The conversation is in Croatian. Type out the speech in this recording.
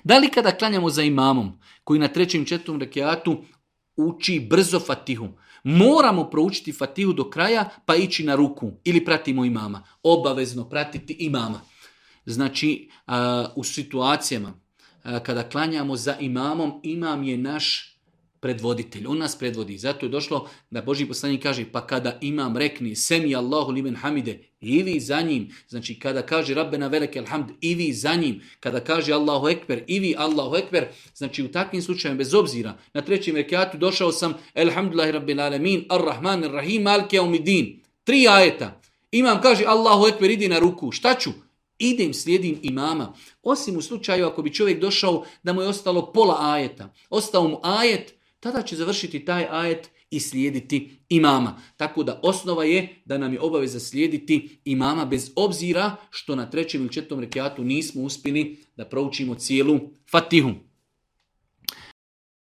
Da li kada klanjamo za imamom, koji na 3. i 4. rekiatu uči brzo Fatihu, moramo proučiti Fatihu do kraja pa ići na ruku ili pratimo imama? Obavezno pratiti imama. Znači, u situacijama kada klanjamo za imamom, imam je naš predvoditelj, on nas predvodi. Zato je došlo da Božji poslanik kaže, pa kada imam rekni semi Allahu limen hamide, i vi za njim, znači kada kaže Rabbena velekel hamd, i vi za njim, kada kaže Allahu ekber, i vi Allahu ekber, znači u takvim slučajevima bez obzira, na 3. rekatu došao sam elhamdulillahi rabbil alamin, ar-rahman ar-rahim, maliki yawmiddin, 3 ajeta, imam kaže Allahu ekber, idi na ruku, šta ću? Idem, slijedim imama. Osim u slučaju ako bi čovjek došao da mu je ostalo pola ajeta, ostao mu ajet, tada će završiti taj ajet i slijediti imama. Tako da osnova je da nam je obaveza slijediti imama bez obzira što na 3. ili 4. rekiatu nismo uspjeli da proučimo cijelu Fatihu.